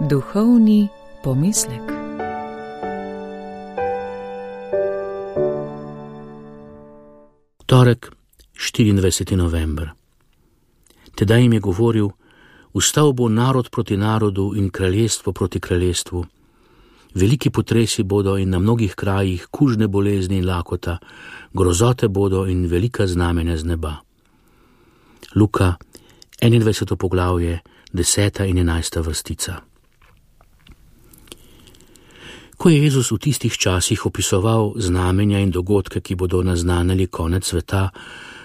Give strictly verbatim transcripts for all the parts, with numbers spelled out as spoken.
Duhovni pomislek. Torek, štiriindvajseti november. Tedaj jim je govoril: Vstal bo narod proti narodu in kraljestvo proti kraljestvu. Veliki potresi bodo in na mnogih krajih kužne bolezni in lakota, grozote bodo in velika znamenja z neba. Luka, enaindvajseto poglavje, deseta in enajsta vrstica. Ko je Jezus v tistih časih opisoval znamenja in dogodke, ki bodo naznanili konec sveta,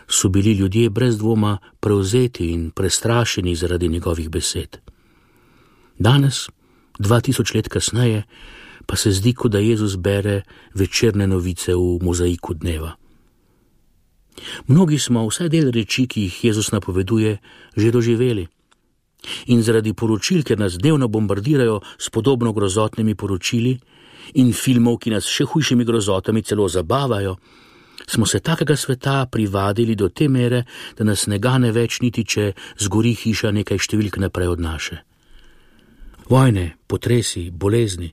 so bili ljudje brez dvoma prevzeti in prestrašeni zaradi njegovih besed. Danes, dva tisoč let kasneje, pa se zdi, kot da Jezus bere večerne novice v mozaiku dneva. Mnogi smo vsaj del reči, ki jih Jezus napoveduje, že doživeli. In zaradi poročil, ker nas dnevno bombardirajo s podobno grozotnimi poročili in filmov, ki nas še hujšimi grozotami celo zabavajo, smo se takega sveta privadili do te mere, da nas ne gane več niti, če zgori hiša nekaj številk naprej od naše. Vojne, potresi, bolezni,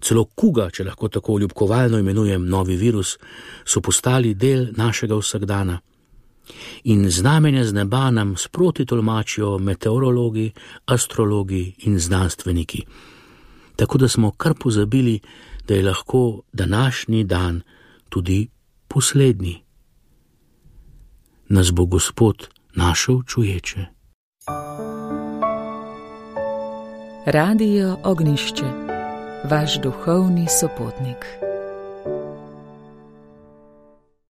celo kuga, če lahko tako ljubkovalno imenujem novi virus, so postali del našega vsakdana. In znamenja z neba nam sproti tolmačijo meteorologi, astrologi in znanstveniki. Tako da smo kar pozabili, da je lahko današnji dan tudi poslednji. Nas bo Gospod našel čuječe. Radio Ognjišče, vaš duhovni sopotnik.